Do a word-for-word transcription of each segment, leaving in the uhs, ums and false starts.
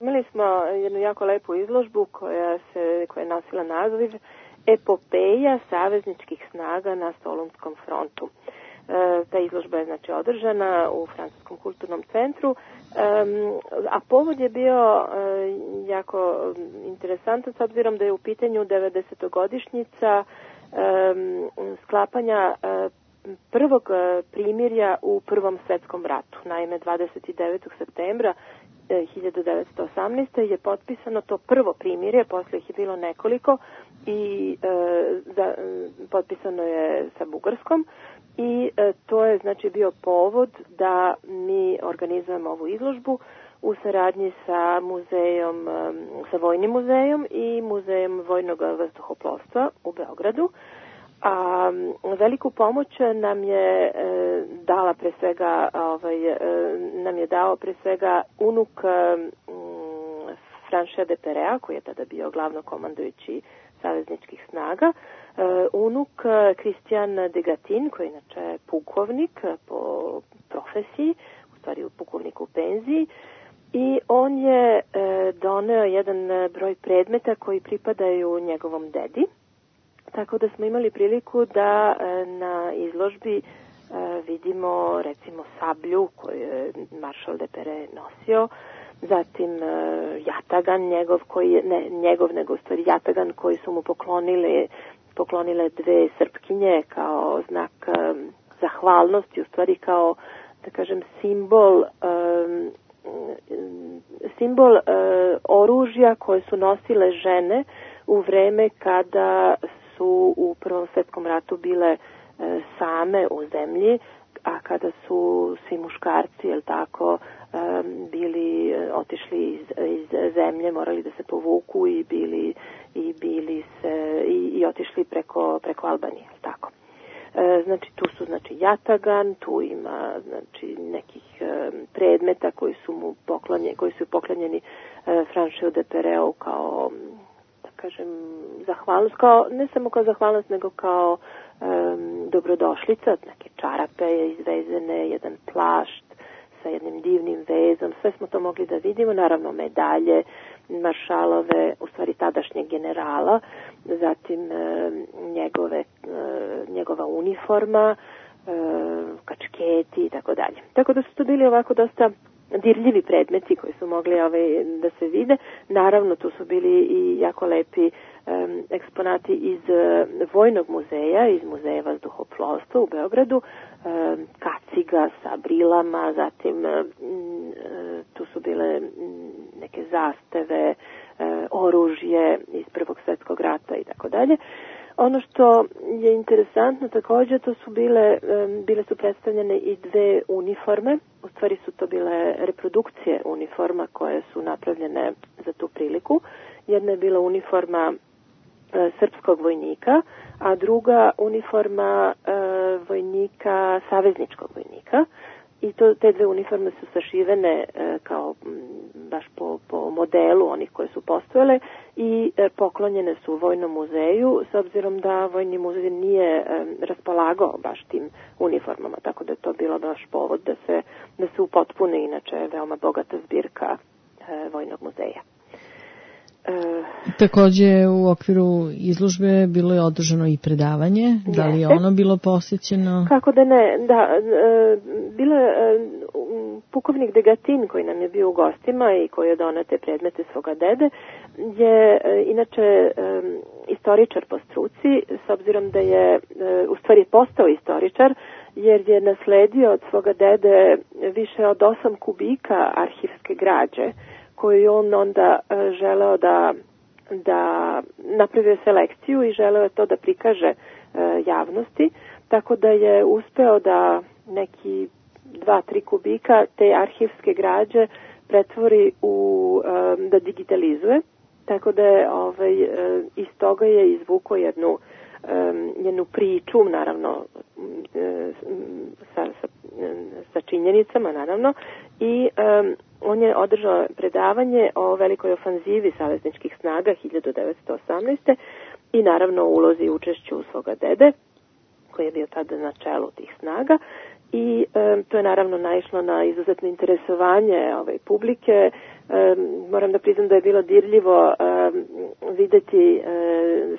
Imali smo jednu jako lepu izložbu koja, se, koja je nosila naziv Epopeja savezničkih snaga na Solunskom frontu. E, ta izložba je znači održana u Francuskom kulturnom centru, e, a povod je bio e, jako interesantan s obzirom da je u pitanju devedesetogodišnjica e, sklapanja e, prvog primirja u Prvom svetskom ratu. Naime, dvadeset devetog septembra hiljadu devetsto osamnaeste. je potpisano to prvo primirje, posle ih je bilo nekoliko i e, za, potpisano je sa Bugarskom i e, to je znači bio povod da mi organizujemo ovu izložbu u saradnji sa muzejom, sa Vojnim muzejom i Muzejom vojnog vazduhoplovstva u Beogradu. A veliku pomoć nam je e, dala pre svega ovaj, e, nam je dao pre svega unuk e, Franchea de Perea, koji je tada bio glavnokomandujući savezničkih snaga, e, unuk Christian de Gatin, koji je inače pukovnik po profesiji, u stvari pukovnik u penziji, i on je e, doneo jedan broj predmeta koji pripadaju njegovom dedi. Tako da smo imali priliku da e, na izložbi e, vidimo recimo sablju koju je maršal de Pere nosio, zatim e, jatagan njegov, koji je, ne njegov nego u stvari jatagan koji su mu poklonile, poklonile dve srpkinje kao znak e, zahvalnosti, u stvari kao, da kažem, simbol e, simbol e, oružja koje su nosile žene u vreme kada su u Prvom svetskom ratu bile e, same u zemlji, a kada su svi muškarci, jel tako, e, bili e, otišli iz, iz zemlje, morali da se povuku i bili i bili se i, i otišli preko preko Albanije, jel tako. E, znači tu su znači jatagan, tu ima znači nekih e, predmeta koji su mu poklonjeni, koji su poklonjeni e, Francheu de Pereu kao, kažem, zahvalnost, kao, ne samo kao zahvalnost, nego kao um, dobrodošlica, neke čarape izvezene, jedan plašt sa jednim divnim vezom, sve smo to mogli da vidimo, naravno medalje, maršalove, u stvari tadašnjeg generala, zatim um, njegove, uh, njegova uniforma, uh, kačketi i tako dalje. Tako da su to bili ovako dosta dirljivi predmeti koji su mogli ovaj, da se vide. Naravno, tu su bili i jako lepi um, eksponati iz uh, Vojnog muzeja, iz Muzeja vazduhoplovstva u Beogradu, um, kaciga sa brilama, zatim um, tu su bile um, neke zastave, uh, oružje iz Prvog svjetskog rata i tako dalje. Ono što je interesantno također, to su bile, bile su predstavljene i dve uniforme, u stvari su to bile reprodukcije uniforma koje su napravljene za tu priliku. Jedna je bila uniforma e, srpskog vojnika, a druga uniforma e, vojnika, savezničkog vojnika. I to, te dve uniforme su sašivene e, kao m, baš po, po modelu onih koje su postojale i e, poklonjene su Vojnom muzeju, s obzirom da Vojni muzej nije e, raspolagao baš tim uniformama, tako da je to bilo baš povod da se, da se upotpune inače veoma bogata zbirka e, Vojnog muzeja. E, Takođe u okviru izložbe bilo je održano i predavanje. Jeste. Da li je ono bilo posjećeno? Kako da ne, da, e, bilo je e, pukovnik de Gatin koji nam je bio u gostima i koji je doneo te predmete svoga dede, je e, inače e, istoričar po struci, s obzirom da je e, u stvari postao istoričar, jer je nasledio od svoga dede više od osam kubika arhivske građe, koju on onda e, želeo da, da napravio selekciju i želeo je to da prikaže e, javnosti, tako da je uspeo da neki dva, tri kubika te arhivske građe pretvori u, e, da digitalizuje, tako da je ovaj, e, iz toga je izvukao jednu, e, jednu priču, naravno, e, sa, sa, sa činjenicama, naravno, i e, on je održao predavanje o velikoj ofanzivi savezničkih snaga hiljadu devetsto osamnaeste. i naravno ulozi i učešću svoga dede, koji je bio tada na čelu tih snaga. i e, to je naravno naišlo na izuzetno interesovanje ove publike. E, moram da priznam da je bilo dirljivo e, videti e,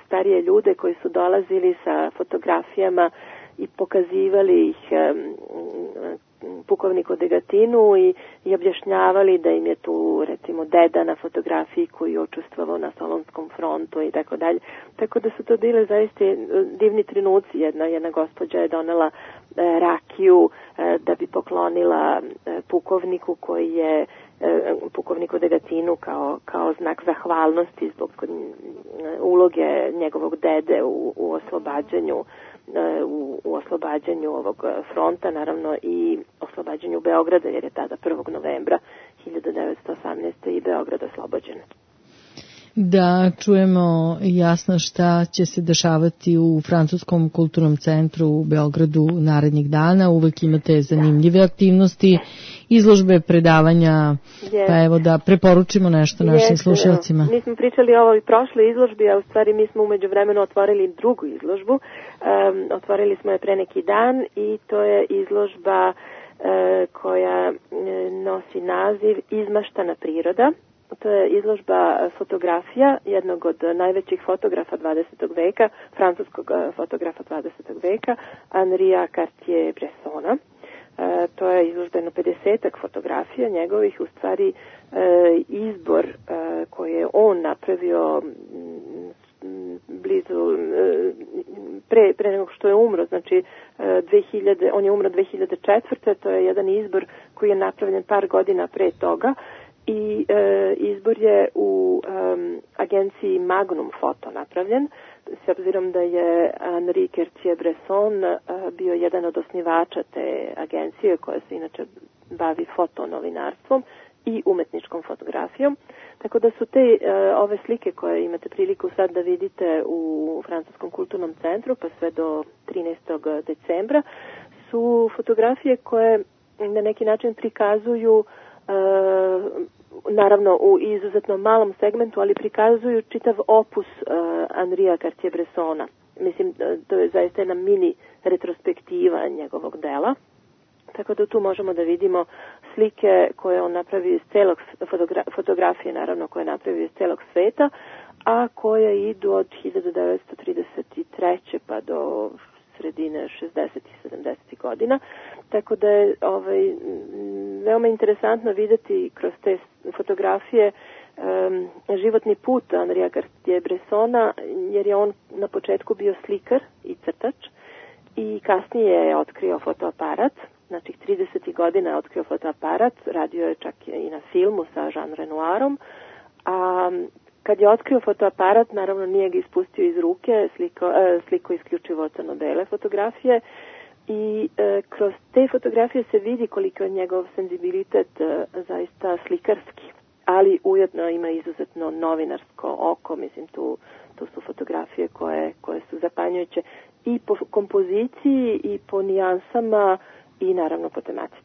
starije ljude koji su dolazili sa fotografijama i pokazivali ih e, pukovniku Degatinu i, i objašnjavali da im je tu recimo deda na fotografiji koji je učestvovao na Solunskom frontu i tako dalje. Tako da su to bile zaista divni trenuci. Jedna, jedna gospođa je donela e, rakiju e, da bi poklonila e, pukovniku koji je e, pukovniku Degatinu kao, kao znak zahvalnosti zbog uloge njegovog dede u, u oslobađanju U, u oslobađanju ovog fronta, naravno i oslobađanju Beograda, jer je tada prvog novembra hiljadu devetsto osamnaeste. i Beograd oslobođen. Da čujemo jasno šta će se dešavati u Francuskom kulturnom centru u Beogradu narednih dana. Uvek imate zanimljive aktivnosti, izložbe, predavanja, yes. Pa evo da preporučimo nešto našim yes. slušalcima. Mi smo pričali o ovoj prošloj izložbi, a u stvari mi smo umeđu vremenu otvorili drugu izložbu. Um, otvorili smo je pre neki dan i to je izložba uh, koja nosi naziv Izmaštana priroda. To je izložba fotografija jednog od najvećih fotografa dvadesetog veka, francuskog fotografa dvadesetog veka, Henria Cartier-Bressona. E, to je izložba jedno pedesetak fotografija njegovih, u stvari e, izbor e, koji je on napravio m, blizu, e, pre, pre nego što je umro, znači e, dve hiljade, on je umro dve hiljade četvrte. To je jedan izbor koji je napravljen par godina pre toga. I e, izbor je u e, agenciji Magnum Foto napravljen, s obzirom da je Henri Cartier-Bresson e, bio jedan od osnivača te agencije koja se inače bavi fotonovinarstvom i umetničkom fotografijom. Tako da su te e, ove slike koje imate priliku sad da vidite u Francuskom kulturnom centru pa sve do trinaestog decembra su fotografije koje na neki način prikazuju Uh, naravno u izuzetno malom segmentu, ali prikazuju čitav opus uh, Henria Cartier-Bressona. Mislim, to je zaista jedna mini retrospektiva njegovog dela. Tako da tu možemo da vidimo slike koje on napravi iz celog, fotogra- fotografije naravno koje napravi iz celog sveta, a koje idu od hiljadu devetsto trideset treće pa do sredine šezdesetih i sedamdesetih godina. Tako da je ovaj, veoma interesantno videti kroz te fotografije um, životni put Henria Cartier-Bressona, jer je on na početku bio slikar i crtač i kasnije je otkrio fotoaparat. Znači, tridesetih godina je otkrio fotoaparat, radio je čak i na filmu sa Jean Renoirom, a kad je otkrio fotoaparat, naravno nije ga ispustio iz ruke, sliko, e, sliko isključivo crno-bele fotografije i e, kroz te fotografije se vidi koliko je njegov senzibilitet e, zaista slikarski, ali ujedno ima izuzetno novinarsko oko, mislim tu, tu su fotografije koje, koje su zapanjujuće i po kompoziciji i po nijansama i naravno po tematici.